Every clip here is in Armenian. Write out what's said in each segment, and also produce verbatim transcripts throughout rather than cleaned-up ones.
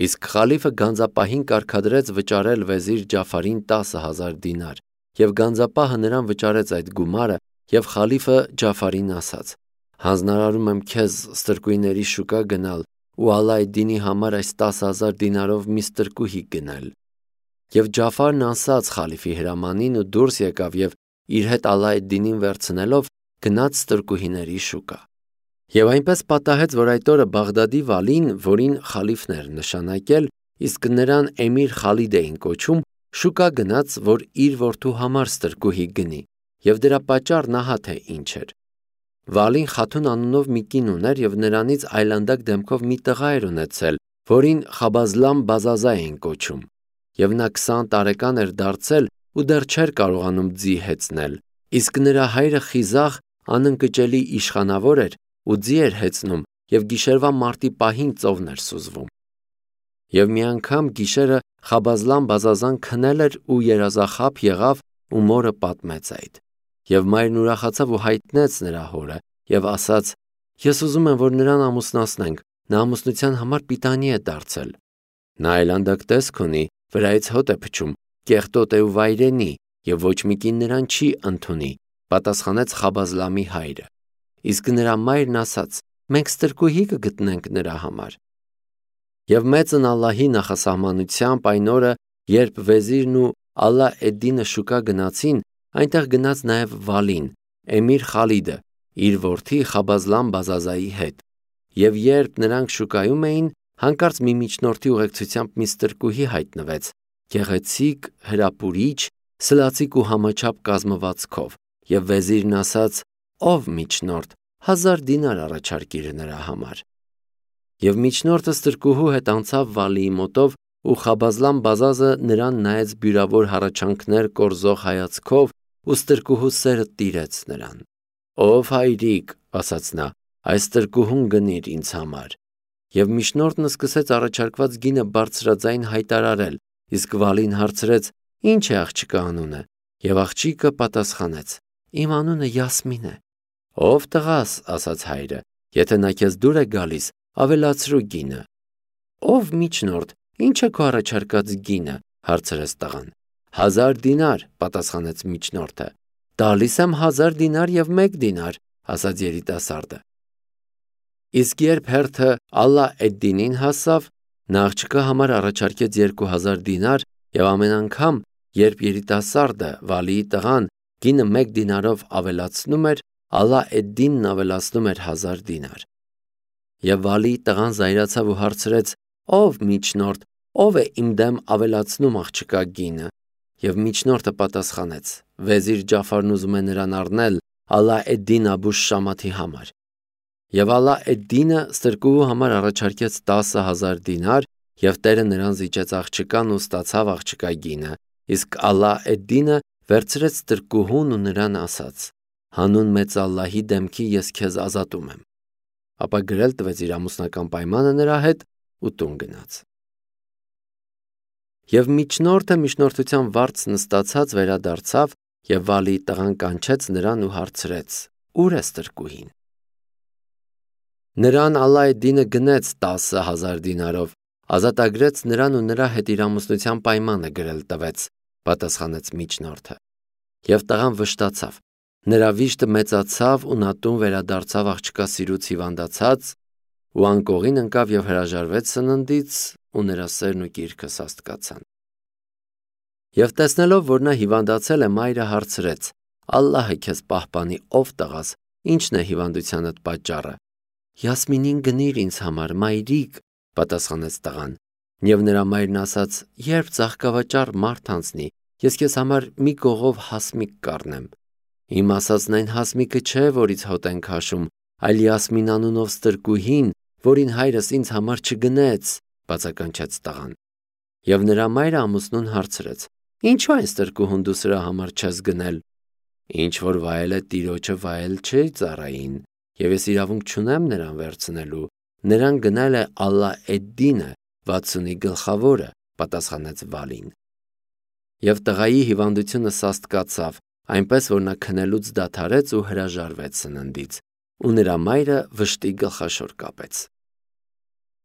Իսկ խալիֆը գանձապահին կարգադրեց վճարել վեզիր Ջաֆարին տասը հազար դինար, և գանձապահը նրան վճարեց այդ գումարը, և խալիֆը Ջաֆարին ասաց. «Հանձնարարում եմ քեզ ստրկույների շուկա գնալ ու Ալլա էդ-Դինի համար այս տասը հազար դինարով մի ստրկուհի գնել»։ Եվ Ջաֆարն անսաց խալիֆի հրամանին ու դուրս եկավ և իր հետ Ալլա էդ-Դինին վերցնելով գնաց ստրկուհիների շուկա։ Եվ այնպես պատահեց, որ այդ օրը Բաղդադի վալին, որին խալիֆն էր նշանակել, իսկ նրան Էմիր Խալիդ էին կոչում, շուկա գնաց, որ իր որդու համար ստրկուհի գնի, և դրա պատճառն ահա թե ինչ էր։ Վալին Խաթուն անունով մի կին ուներ և նրանից այլանդակ դեմքով մի տղա էր ունեցել, որին Խաբազլամ Բազազա էին կոչում, և նա քսան տարեկան էր դարձել ու դեռ չէր կարողանում ձի հեծնել, իսկ նրա հայրը խիզախ, անընկճելի իշխանավոր էր ու ձի էր հեծնում և գիշերվա մարտի պահին ծովն էր սուզվում։ Եվ մի անգամ գիշերը Խաբազլամ Բազազան քնել էր ու երազախաբը եղավ ու մորը պատմեց այդ։ Եվ մայրն ուրախացավ ու հայտնեց նրա հորը և ասաց. «Ես ուզում եմ, որ նրան ամուսնացնենք, նա ամուսնության համար պիտանի է դարձել»։ Նա այլանդակ տեսք ունի, վրայից հոտ է փչում, կեղտոտ է ու վայրենի, և ոչ մի կին նրան չի ընդունի, պատասխանեց Խաբազլամի հայրը։ Իսկ նրա մայրն ասաց. «Մենք ստրկուհի կգտնենք նրա համար»։ Եվ մեծն Ալլահի նախասահմանությամբ այն օրը, երբ վեզիրն ու Ալլա էդ-Դինը շուկա գնացին, այնտեղ գնաց նաև Վալին, Էմիր Խալիդը, իր որդի Խաբազլամ Բազազայի հետ։ Եվ երբ նրանք շուկայում էին, հանկարծ մի միջնորդի ուղեկցությամբ մի ստրկուհի հայտնվեց, գեղեցիկ, հրապուրիչ, սլացիկ ու համաչափ կազմվածքով, և վեզիրն ասաց. «Ով միջնորդ, հազար դինար առաջարկիր նրա համար»։ Եվ միջնորդը ստրկուհու հետ անցավ Վալիի մոտով, ու Խաբազլամ Բազազը նրան նայեց բյուրավոր հառաչանքներ կորզող հայացքով ու ստրկուհու սերը տիրեց նրան։ «Ով հայրիկ», ասաց նա, «այս ստրկուհուն գնիր ինձ համար»։ Եվ միջնորդն սկսեց առաջարկված գինը բարձրաձայն հայտարարել, իսկ Վալին հարցրեց. «Ի՞նչ է աղջկա անունը»։ Եվ աղջիկը պատասխանեց. «Իմ անունը Յասմին է»։ «Ով տղաս», ասաց հայրը, «եթե նա քեզ դուր է գալիս, ավելացրու գինը»։ «Ով միջնորդ, ի՞նչ է քո առաջարկած գինը», հարցրեց տղան։ «Հազար դինար», պատասխանեց միջնորդը։ «Տալիս եմ հազար դինար և մեկ դինար», ասաց երիտասարդը։ Իսկ երբ հերթը Ալլա էդ-Դինին հասավ, նա աղջկա համար առաջարկեց երկու հազար դինար, և ամեն անգամ, երբ երիտասարդը, Վալիի տղան, գինը մեկ դինարով ավելացնում էր, Ալլա էդ-Դինն ավելացնում էր հազար դինար։ Եվ Վալիի տղան զայրացավ ու հարցրեց. «Ով միջնորդ, ով է իմ դեմ ավելացնում աղջկա գինը»։ Եվ միջնորդը պատասխանեց. «Վեզիր Ջաֆարն ուզում է նրան առնել Ալլա էդ-Դին Աբուշ Շամաթի համար»։ Եվ Ալլա էդ-Դինը ստրկուհու համար առաջարկեց տասը հազար դինար, և տերը նրան զիջեց աղջկան ու ստացավ աղջկա գինը, իսկ Ալլա էդ-Դինը վերցրեց ստրկուհուն ու նրան ասաց. «Հանուն մեծ Ալլահի դեմքի ես քեզ ազատում եմ»։ Ապա գրել տվեց իր ամուսնական պայմանը նրա հետ ու տուն գնաց։ Եվ միջնորդը միջնորդության վարձ նստացած վերադարձավ, և Վալիի տղան կանչեց նրան ու հարցրեց. «Ո՞ւր է ստրկուհին»։ Նրան Ալլա էդ-Դինը գնեց տասը հազար դինարով, ազատագրեց նրան ու նրա հետ իր ամուսնության պայմանը գրել տվեց, պատասխանեց միջնորդը։ Եվ տղան վշտացավ, նրա վիշտը մեծացավ ու նա տուն վերադարձավ աղջկա սիրուց հիվանդացած ու անկողին ընկավ և հրաժարվեց սննդից, ու նրա սերն ու կիրքը սաստկացան։ Եվ տեսնելով, որ նա հիվանդացել է, մայրը հարցրեց. «Ալլահը քեզ պահպանի, ով տղաս, ի՞նչն է հիվանդությանդ պատճառը»։ «Յասմինին գնիր ինձ համար, մայրիկ», պատասխանեց տղան։ Եվ նրա մայրն ասաց. «Երբ ծաղկավաճառ մարդ անցնի, ես քեզ համար մի կողով հասմիկ կառնեմ»։ «Իմ ասածն այն հասմիկը չէ, որից հոտ են քաշում, այլ Յասմին անունով ստրկուհին, որին հայրս ինձ համար չգնեց», բացականչեց տղան։ Եվ նրա մայրը ամուսնուն հարցրեց. «Ինչո՞ւ այն ստրկուհուն դու սրա համար չես գնել»։ «Ինչ որ վայել է տիրոջը, վայել չէ ծառային, և ես իրավունք չունեմ նրան վերցնելու, նրան գնել է Ալլա էդ-Դինը, վաթսունի գլխավորը», պատասխանեց Վալին։ Եվ տղայի հիվանդությունը սաստկացավ, այնպես որ նա քնելուց դադարեց ու հրաժարվեց սննդից, ու նրա մայրը վշտի գլխաշոր կապեց։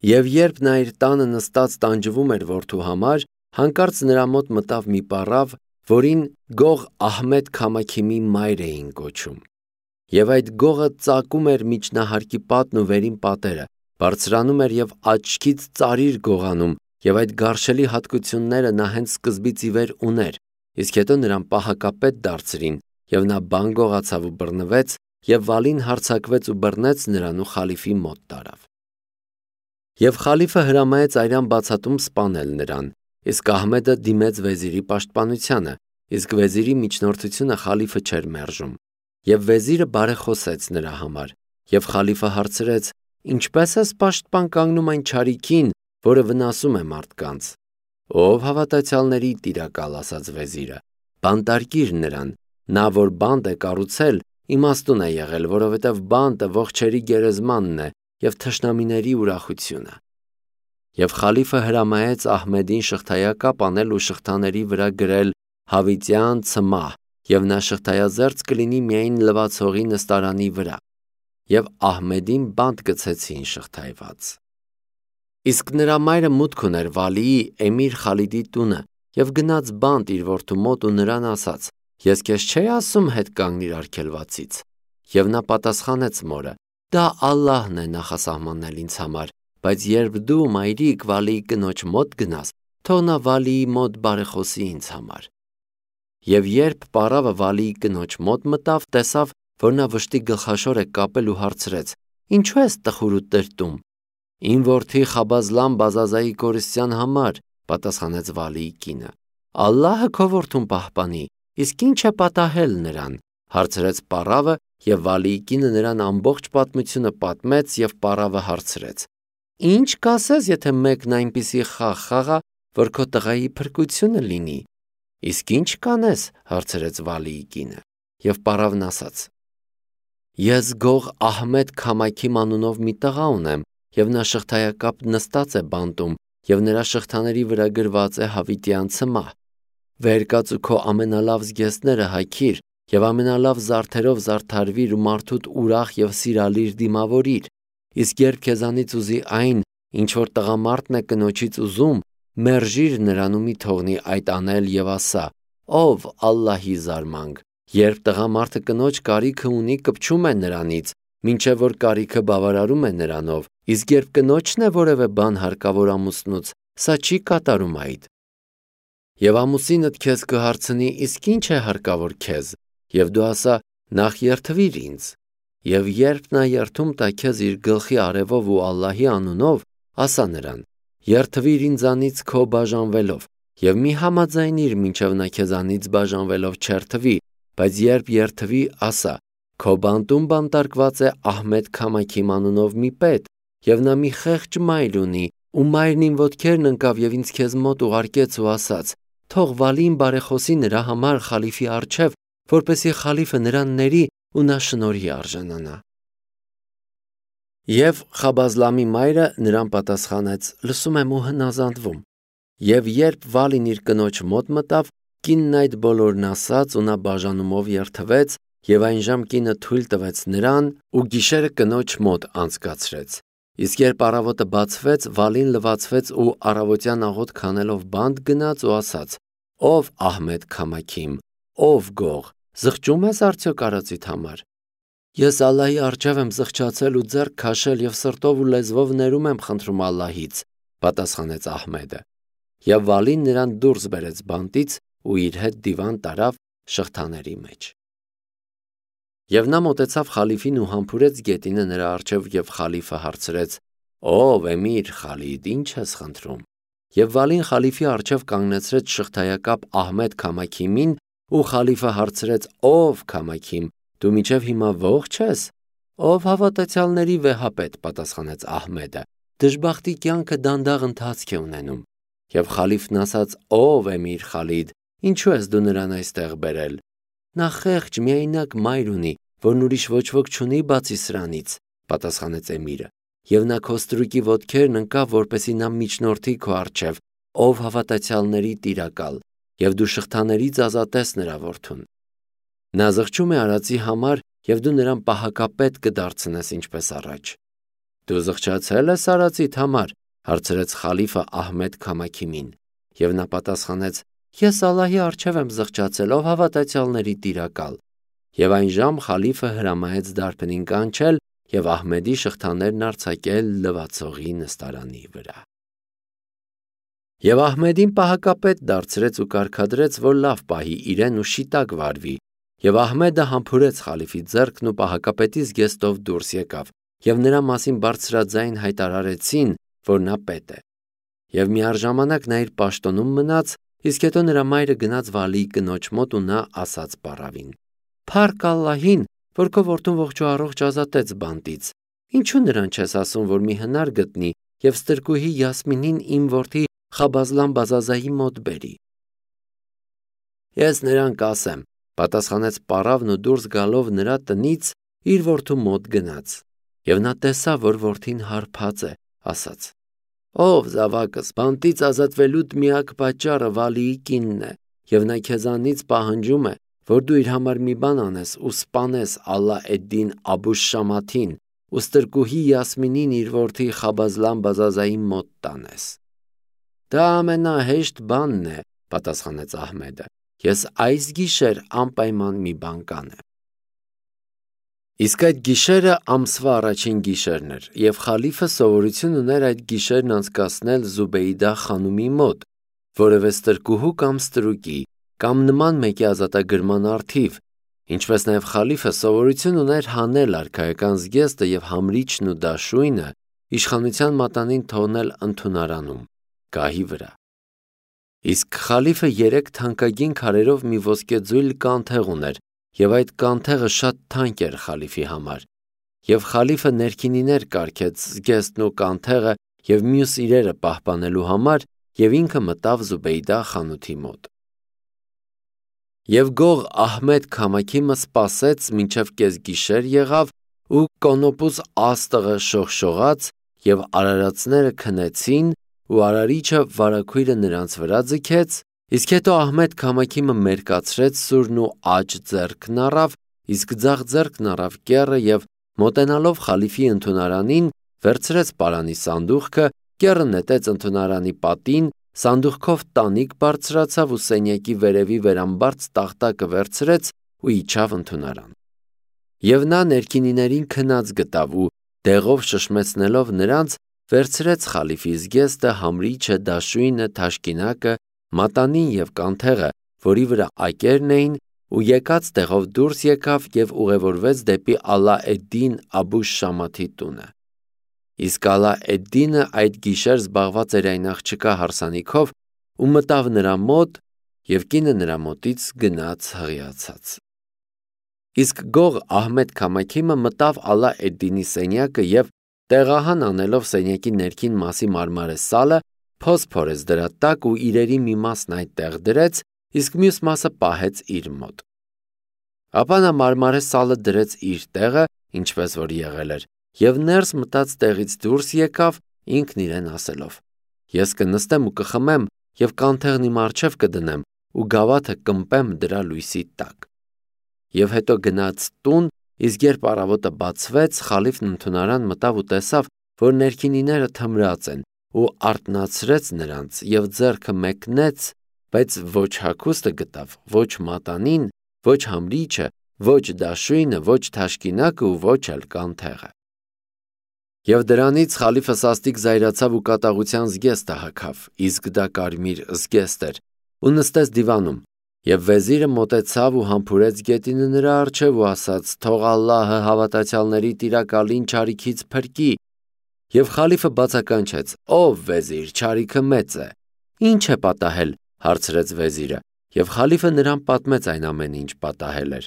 Եվ երբ նա իր տանը նստած տանջվում էր որդու համար, հանկարծ նրա մոտ մտավ մի պառավ, որին Գող Ահմեդ Քամաքիմի մայր էին կոչում։ Եվ այդ գողը ծակում էր միջնահարկի պատն ու վերին պատերը, բարձրանում էր և աչքից ծարիր գողանում, և այդ գարշելի հատկությունները նա հենց սկզբից ի վեր ուներ, իսկ հետո նրան պահակապետ դարձրին, և նա բան գողացավ ու բռնվեց, և Վալին հարձակվեց ու բռնեց նրան ու խալիֆի մոտ տարավ։ Եվ խալիֆը հրամայեց այրան բացատում սպանել նրան, իսկ Ահմեդը դիմեց վեզիրի պաշտպանությանը, իսկ վեզիրի միջնորդությունը խալիֆը չէր մերժում։ Եվ վեզիրը բարեխոսեց նրա համար, և խալիֆը հարցրեց. «Ինչպե՞ս ես պաշտպան կանգնում այն չարիքին, որը վնասում է մարդկանց»։ «Ով հավատացյալների տիրակալ», ասաց վեզիրը, «բանտարկիր նրան, նա որ բանտ է կառուցել, իմաստուն է եղել, որովհետև բանտը ողջերի գերեզմանն է և թշնամիների ուրախությունը»։ Եվ խալիֆը հրամայեց Ահմեդին շղթայակապ անել ու շղթաների վրա գրել հավիտյան ցմահ, և նա շղթայազերծ կլինի միայն լվացողի նստարանի վրա։ Եվ Ահմեդին բանտ գցեցին շղթայված։ Իսկ նրա մայրը մուտք ուներ Վալիի Էմիր Խալիդի տունը և գնաց բանտ իր որդու մոտ ու նրան ասաց. «Ես քեզ չէի ասում հետ կանգնիր արգելվածից»։ Եվ նա պատասխանեց մորը. «Դա Ալլահն է նախասահմանել ինձ համար, բայց երբ դու, մայրիկ, Վալիի կնոջ մոտ գնաս, թող նա Վալիի մոտ բարեխոսի ինձ համար»։ Եվ երբ պառավը Վալիի կնոջ մոտ մտավ, տեսավ, որ նա վշտի գլխաշոր է կապել ու հարցրեց. «Ինչու ես տխուր ու տրտում»։ «Իմ որդի Խաբազլան Բազազայի կորստյան համար», պատասխանեց Վալիի կինը։ «Ալլահը քո որդուն պահպանի, իսկ ի՞նչ է պատահել նրան», հարցրեց պառավը, և Վալիի կինը նրան ամբողջ պատմությունը պատմեց, և պառավը հարցրեց. «Ի՞նչ կասես, եթե մեկն այնպիսի խաղ խաղա, որ քո տղայի փրկությունը լինի»։ «Իսկ ի՞նչ կանես», հարցրեց Վալիի կինը։ Եվ պառավն ասաց. «Ես Գող Ահմեդ Քամաքիմ անունով մի տղա ունեմ, և նա շղթայակապ նստած է բանտում, և նրա շղթաների վրա գրված է հավիտյան ցմահ։ Վեր կաց ու քո ամենալավ զգեստները հագիր, և ամենալավ զարդերով զարդարվիր ու մարդուդ ուրախ և սիրալիր դիմավորիր, իսկ երբ քեզանից ուզի այն, ինչ որ տղամարդն է կնոջից ուզում, մերժիր նրան ու մի թողնի այդ անել և ասա. «Ով Ալլահի զարմանք, երբ տղամարդը կնոջ կարիքը ունի, կպչում է նրանից, մինչև որ կարիքը բավարարում է նրանով, իսկ երբ կնոջն է որևէ բան հարկավոր ամուսնուց, սա չի կատարում այդ»։ Եվ ամուսինդ քեզ կհարցնի. «Իսկ ի՞նչ է հարկավոր քեզ», և դու ասա. «Նախ երդվիր ինձ»։ Եվ երբ նա երդում տա քեզ իր գլխի արևով ու Ալլահի անունով, ասա նրան. «Երդվիր ինձանից քո բաժանվելով», և մի համաձայնիր, մինչև նա քեզանից բաժանվելով չերդվի, բայց երբ երդվի, ասա. «Քո բանտում բանտարկված է Ահմեդ Քամաքիմ անունով մի պետ, և նա մի խեղճ մայր ունի, ու մայրն իմ ոտքերն ընկավ և ինձ քեզ մոտ ուղարկեց ու ասաց. թող Վալին բարեխոսի նրա համար խալիֆի առջև, որպեսզի խալիֆը նրան ների ու նա շնորհի արժանանա»։ Եվ Խաբազլամի մայրը նրան պատասխանեց. «Լսում եմ ու հնազանդվում»։ Եվ երբ Վալին իր կնոջ մոտ մտավ, կինն այդ բոլորն ասաց, ու նա բաժանումով երդվեց, և այնժամ կինը թույլ տվեց նրան ու գիշերը կնոջ մոտ անցկացրեց։ Իսկ երբ առավոտը բացվեց, Վալին լվացվեց ու առավոտյան աղոթք անելով բանտ գնաց ու ասաց. «Ով Ահմեդ Քամաքիմ, ով Գող, զղջում ես արդյոք արածիդ համար»։ «Ես Ալլահի առջև եմ զղջացել ու ձեռք քաշել և սրտով ու լեզվով ներում եմ խնդրում Ալլահից», պատասխանեց Ահմեդը։ Եվ Վալին նրան դուրս բերեց բանտից ու իր հետ դիվան տարավ շղթաների մեջ։ Եվ նա մոտեցավ խալիֆին ու համբուրեց գետինը նրա առջև, և խալիֆը հարցրեց. «Ով Էմիր Խալիդ, ի՞նչ ես խնդրում»։ Եվ Վալին խալիֆի առջև կանգնեցրեց շղթայակապ Ահմեդ Քամաքիմին, ու խալիֆը հարցրեց. «Ով Քամաքիմ, դու մինչև հիմա ողջ ես»։ «Ով հավատացյալների վեհապետ», պատասխանեց Ահմեդը, «դժբախտի կյանքը դանդաղ ընթացք է ունենում»։ Եվ խալիֆն ասաց. «Ով Էմիր Խալիդ, ինչու ես դու նրան այստեղ բերել»։ «Նա խեղճ, միայնակ մայր ունի, որն ուրիշ ոչ ոք չունի բացի սրանից», պատասխանեց Էմիրը, «և նա քո ստրուկի ոտքերն ընկավ, որպեսզի նա միջնորդի քո առջև, ով հավատացյալների տիրակալ, և դու շղթաներից ազատես նրա որդուն։ Նա զղջում է արածի համար, և դու նրան պահակապետ կդարձնես ինչպես առաջ»։ Դու զղջացել ես արածիդ համար, հարցրեց խալիֆը Ահմեդ Քամաքիմին, եւ նա պատասխանեց. Ես Ալլահի առջև եմ զղջացել, ով հավատացյալների տիրակալ։ Եվ այն ժամ խալիֆը հրամայեց դարբնին կանչել եւ Ահմեդի շղթաներն արձակել լվացողի նստարանի վրա։ Եվ Ահմեդին պահակապետ դարձրեց ու կարգադրեց, որ լավ պահի իրեն ու շիտակ վարվի, եւ Ահմեդը համբուրեց խալիֆի ձեռքն ու պահակապետի զգեստով դուրս եկավ, եւ նրա մասին բարձրաձայն հայտարարեցին, որ նա պետ է։ Եվ միառժամանակ նա իր պաշտոնում մնաց, իսկ հետո նրա մայրը գնաց Վալիի կնոջ մոտ ու նա ասաց պարավին. Փառք Ալլահին, որ քո որդուն ողջ ու առողջ ազատեց բանտից։ Ինչու նրան չես ասում, որ մի հնար գտնի եւ ստրկուհի Յասմինին իմ որդի Խաբազլան Բազազայի մոտ բերի։ Ես նրան կասեմ, պատասխանեց պարավն ու դուրս գալով նրա տնից իր որդու մոտ գնաց։ Եվ նա տեսավ, որ որդին հարբած է, ասաց. Ով զավակս, բանտից ազատվելուդ միակ պատճառը Վալիի կինն է, եւ նա քեզանից պահանջում է, որ դու իր համար մի բան անես ու սպանես Ալլա Էդդին Աբուշ Շամաթին ու ստրկուհի Յասմինին իր որդի Խաբազլան Բազազայի մոտ տանես։ Դա ամենահեշտ բանն է, պատասխանեց Ահմեդը։ Ես այս գիշեր անպայման մի բան կանեմ։ Իսկ այդ գիշերը ամսվա առաջին գիշերն էր, եւ խալիֆը սովորություն ուներ այդ գիշերն անցկացնել Զուբեյդա խանումի մոտ, որևէ ստրկուհու կամ ստրուկի, կամ նման մեկի ազատագրման առթիվ, ինչպես նաեւ խալիֆը սովորություն ուներ հանել արքայական զգեստը եւ համրիչն ու դաշույնը իշխանության մատանին թողնել ընդունարանում, գահի վրա։ Իսկ խալիֆը երեք թանկագին քարերով մի ոսկեձույլ կանթեղ ուներ, եւ այդ կանթեղը շատ թանկ էր խալիֆի համար, եւ խալիֆը ներքինիներ կարգեց զգեստն ու կանթեղը եւ մյուս իրերը պահպանելու համար, եւ ինքը մտավ Զուբեյդա խանութի մոտ։ Եվ գող Ահմեդ Քամաքիմը սպասեց մինչև կեսգիշեր եղավ ու կոնոպուս աստղը շողշողաց եւ արարածները քնեցին ու արարիչը վարագույրը նրանց վրա ձգեց, իսկ հետո Ահմեդ Քամաքիմը մերկացրեց սուրն ու աջ ձեռքն առավ, իսկ ձախ ձեռքն առավ կեռը եւ մոտենալով խալիֆի ընդունարանին վերցրեց պարանի սանդուղքը, կեռը նետեց ընդունարանի պատին, սանդուղքով տանիք բարձրացավ ու սենյակի վերևի վերամբարձ տախտակը վերցրեց ու իջավ ընդունարան։ Եվ նա ներքինիներին քնած գտավ ու դեղով շշմեցնելով նրանց վերցրեց խալիֆի զգեստը, համրիչը, դաշույնը, թաշկինակը, մատանին եւ կանթեղը, որի վրա ակերն էին, ու եկած տեղով դուրս եկավ եւ ուղևորվեց դեպի Ալլա Էդդին Աբուշ Շամաթի տունը։ Իսկ Ալլա Էդդինը այդ գիշեր զբաղված էր այն աղջկա հարսանիքով ու մտավ նրա մոտ եւ կինը նրա մոտից գնաց հղիացած։ Իսկ գող Ահմեդ Քամաքիմը մտավ Ալլա Էդդինի սենյակը եւ տեղահան անելով սենյակի ներքին մասի մարմարե սալը, փոս փորեց դրա տակ ու իրերի մի մասն այդտեղ դրեց, իսկ մյուս մասը պահեց իր մոտ։ Ապա նա մարմարե սալը դրեց իր տեղը, ինչպես որ եղել էր, եւ ներս մտած տեղից դուրս եկավ, ինքն իրեն ասելով. Ես կնստեմ ու կխմեմ եւ կանթեղն իմ առջև կդնեմ ու գավաթը կմպեմ դրա լույսի տակ։ Եվ հետո գնաց տուն, իսկ երբ առավոտը բացվեց, խալիֆն ընդունարան մտավ ու տեսավ, որ ներքինիները թմրած են ու արթնացրեց նրանց եւ ձեռքը մեկնեց, բայց ոչ հագուստը գտավ, ոչ մատանին, ոչ համրիչը, ոչ դաշույնը, ոչ թաշկինակը ու ոչ էլ կանթեղը։ Եվ դրանից խալիֆը սաստիկ զայրացավ ու կատաղության զգեստը հագավ, իսկ դա կարմիր զգեստ էր, ու նստեց դիվանում, եւ վեզիրը մոտեցավ ու համբուրեց գետինը նրա առջև ու ասաց. Թող Ալլահը հավատացյալների տիրակալին չարիքից փրկի։ Եվ խալիֆը բացականչեց. Ով վեզիր, չարիքը մեծ է։ Ինչ է պատահել, հարցրեց վեզիրը, եւ խալիֆը նրան պատմեց այն ամենը, ինչ պատահել էր։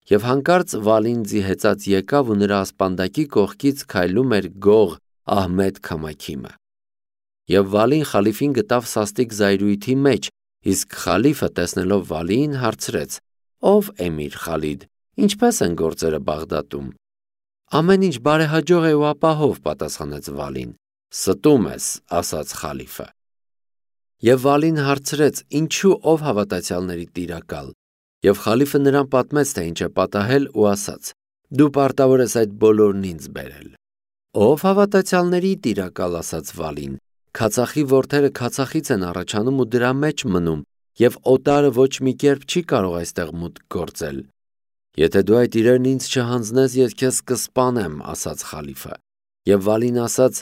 Եվ հանկարծ Վալին ձիհեծած եկավ ու նրա ասպանդակի կողքից քայլում էր գող Ահմեդ Քամաքիմը։ Եվ Վալին խալիֆին գտավ սաստիկ զայրույթի մեջ, իսկ խալիֆը տեսնելով Վալիին հարցրեց. Ով էմիր Խալիդ, ինչպես են գործերը Բաղդադում։ Ամեն ինչ բարեհաջող է ու ապահով, պատասխանեց Վալին։ Ստում ես, ասաց խալիֆը։ Եվ Վալին հարցրեց. Ինչու ով հավատացյալների տիրակալ։ Եվ խալիֆը նրան պատմեց, թե ինչ է պատահել ու ասաց. Դու պարտավոր ես այդ բոլորն ինձ բերել։ Ով հավատացյալների տիրակալ, ասաց Վալին, քացախի որդերը քացախից են առաջանում ու դրա մեջ մնում, և օտարը ոչ մի կերպ չի կարող այստեղ մուտք գործել։ Եթե դու այդ իրերն ինձ չհանձնես, ես քեզ կսպանեմ, ասաց խալիֆը։ Եվ Վալին ասաց.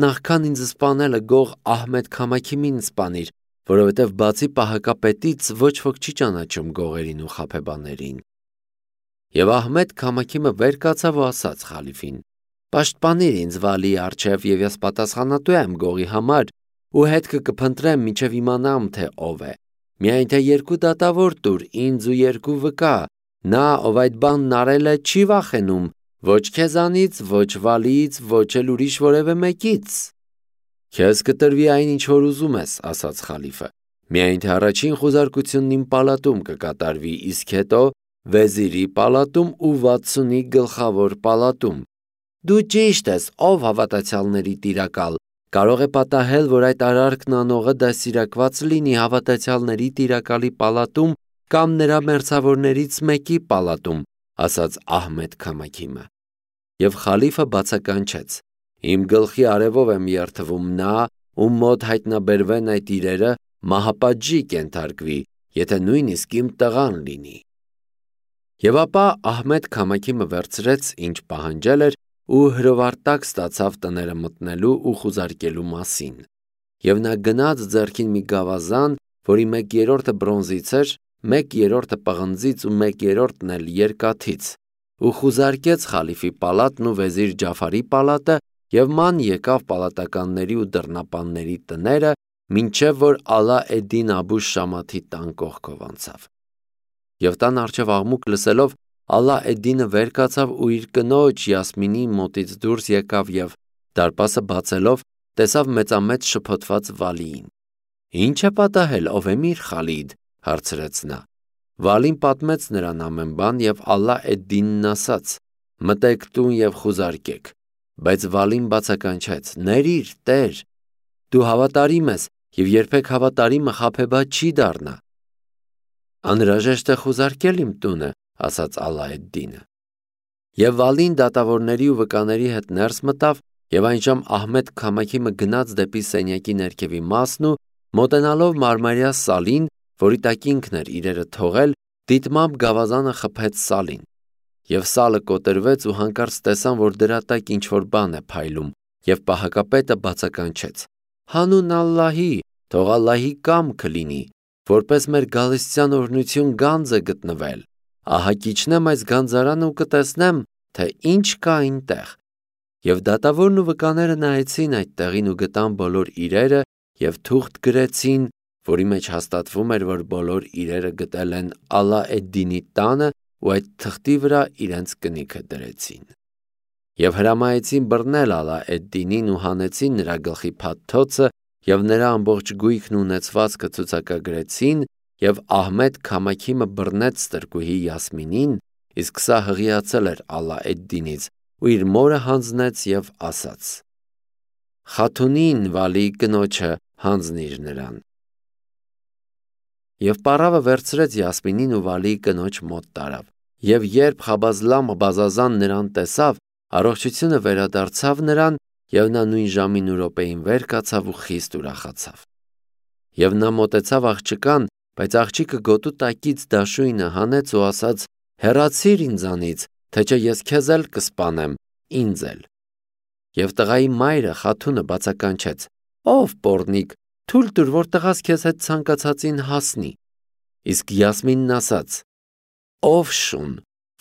նախքան ինձ սպանելը գող Ահմեդ Քամաքիմին սպանիր, որովհետև բացի պահակապետից ոչ ոք չի ճանաչում գողերին ու խաբեբաներին։ Եվ Ահմեդ Քամաքիմը վեր կացավ ու ասաց խալիֆին. պաշտպանիր ինձ Վալիի առջև, և ես պատասխանատու եմ գողի համար ու հետքը կփնտրեմ, մինչև իմանամ, թե ով է։ Միայն թե երկու դատավոր տուր ինձ ու երկու վկա, նա, ով այդ բանն արել է, չի վախենում ոչ քեզանից, ոչ Վալիից, ոչ էլ ուրիշ որևէ մեկից։ Քեզ կտրվի այն, ինչ որ ուզում ես, ասաց խալիֆը, միայն թե առաջին խուզարկությունն իմ պալատում կկատարվի, իսկ հետո վեզիրի պալատում ու վաթսունի գլխավոր պալատում։ Դու ճիշտ ես, ով հավատացյալների տիրակալ, կարող է պատահել, որ այդ արարքն անողը դաստիարակված լինի հավատացյալների տիրակալի պալատում կամ նրա մերձավորներից մեկի պալատում, ասաց Ահմեդ Քամաքիմը։ Եվ խալիֆը բացականչեց. իմ գլխի արևով եմ երդվում, նա, ում մոտ հայտնաբերվեն այդ իրերը, մահապատժի կենթարկվի, եթե նույնիսկ իմ տղան լինի։ Եվ ապա Ահմեդ Քամաքիմը վերցրեց, ինչ պահանջել էր, ու հրովարտակ ստացավ տները մտնելու ու խուզարկելու մասին։ Եվ նա գնաց ձեռքին մի գավազան, որի մեկ երրորդը բրոնզից էր, մեկ երրորդը պղնձից ու մեկ երրորդն էլ երկաթից, ու խուզարկեց խալիֆի պալատն ու վեզիր Ջաֆարի պալատը և ման եկավ պալատականների ու դռնապանների տները, մինչև որ Ալա էդ-Դին Աբու Շամաթի տան կողքով անցավ։ Եվ տան առջև աղմուկ լսելով, Ալա էդ-Դինը վեր կացավ ու իր կնոջ Յասմինի մոտից դուրս եկավ և դարպասը բացելով տեսավ մեծամեծ շփոթված Վալիին։ Ինչ է պատահել, ով է Միր Խալիդ, հարցրեց նա։ Վալին պատմեց նրան ամեն բան և Ալա էդ-Դինն ասաց. մտեք տուն և խուզարկեք։ Բայց Վալին բացականչեց. ներիր, տեր, դու հավատարիմ ես և երբեք հավատարիմը խաբեբա չի դառնա։ Անհրաժեշտ է խուզարկել իմ տունը, ասաց Ալա էդ-Դինը։ Եվ Վալին դատավորների ու վկաների հետ ներս մտավ, և այնժամ Ահմեդ Քամաքիմը գնաց դեպի սենյակի ներքևի մասն ու մոտենալով մարմարյա սալին, որի տակ ինքն էր իրերը թողել, դիտմամբ գավազանը խփեց սալին։ Եվ սալը կոտրվեց ու հանկարծ տեսան, որ դրա տակ ինչ-որ բան է փայլում, և պահակապետը բացականչեց. հանուն Ալլահի, թող Ալլահի կամքը լինի, որպես մեր գալստյան օրհնություն գանձ է գտնվել, ահա կիջնեմ այս գանձարանը ու կտեսնեմ, թե ինչ կա այնտեղ։ Եվ դատավորն ու վկաները նայեցին այդ տեղին ու գտան բոլոր իրերը և թուղթ գրեցին, որի մեջ հաստատվում էր, որ բոլոր իրերը գտել են Ալա էդ-Դինի տանը ու այդ թղթի վրա իրենց կնիքը դրեցին։ Եվ հրամայեցին բռնել Ալա էդ-Դինին ու հանեցին նրա գլխի փաթթոցը և նրա ամբողջ գույքն ու ունեցվածքը ցուցակագրեցին, և Ահմեդ Քամաքիմը բռնեց ստրկուհի Յասմինին, իսկ սա հղիացել էր Ալա էդ-Դինից ու իր մորը հանձնեց և ասաց. Խաթունին Վալիի կնոջը հանձնիր նրան։ Եվ պառավը վերցրեց Յասմինին ու Վալիի կնոջ մոտ տարավ, և երբ Խաբազլամ Բազազան նրան տեսավ, առողջությունը վերադարձավ նրան, և նա նույն ժամին ու րոպեին վեր կացավ ու խիստ ուրախացավ։ Եվ նա մոտեցավ աղջկան, բայց աղջիկը գոտու տակից դաշույնը հանեց ու ասաց. հեռացիր ինձանից, թե չէ ես քեզ էլ կսպանեմ, ինձ էլ։ Եվ տղայի մայրը Խաթունը բացականչեց. ով պոռնիկ, թույլ տուր, որ տղաս քեզ հետ ցանկացածին հասնի։ Իսկ Յասմինն ասաց. ով շուն,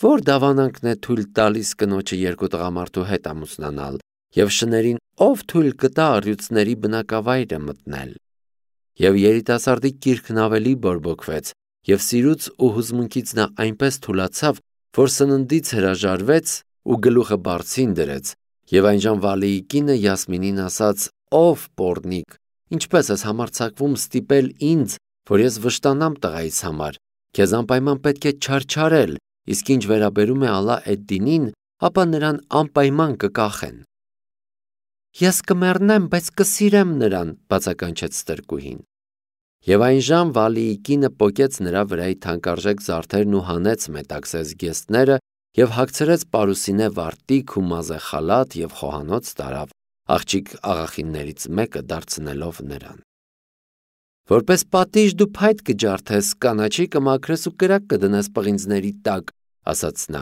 որ դավանանքն է թույլ տալիս կնոջը երկու տղամարդու հետ ամուսնանալ, և շներին ով թույլ կտա առյուծների բնակավայրը մտնել։ Եվ երիտասարդի կիրքն ավելի բորբոքվեց, և սիրուց ու հուզմունքից նա այնպես թուլացավ, որ սննդից հրաժարվեց ու գլուխը բարձին դրեց, և այնժամ Վալիի կինը Յասմինին ասաց. ով պոռնիկ, ինչպես ես համարձակվում ստիպել ինձ, որ ես վշտանամ տղայիս համար, քեզ անպայման պետք է չարչարել, իսկ ինչ վերաբերում է Ալա էդ-Դինին, ապա նրան անպայման կկախեն։ Ես կմեռնեմ, բայց կսիրեմ նրան, բացականչեց ստրկուհին։ Եվ այնժամ Վալիի կինը պոկեց նրա վրայի թանկարժեք զարդերն ու հանեց մետաքսե զգեստները եւ հագցրեց պարուսինե վարտիք ու մազե խալաթ եւ խոհանոց տարավ, աղջիկ աղախիններից մեկը դարձնելով նրան։ Որպես պատիժ դու փայտ կջարդես, կանաչի կմաքրես ու կրակ կդնես պղինձների տակ, ասաց նա։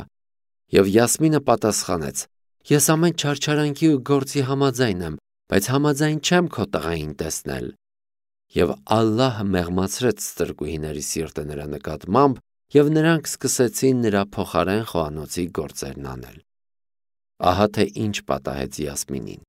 Եվ Յասմինը պատասխանեց. Ես ամեն չարչարանքի ու գործի համաձայն եմ, բայց համաձայն չեմ քո տղային տեսնել։ Եվ Ալլահը մեղմացրեց ստրկուհիների սիրտը նրա նկատմամբ, եւ նրանք սկսեցին նրա փոխարեն խոհանոցի գործերն անել։ Ահա թե ինչ պատահեց Յասմինին։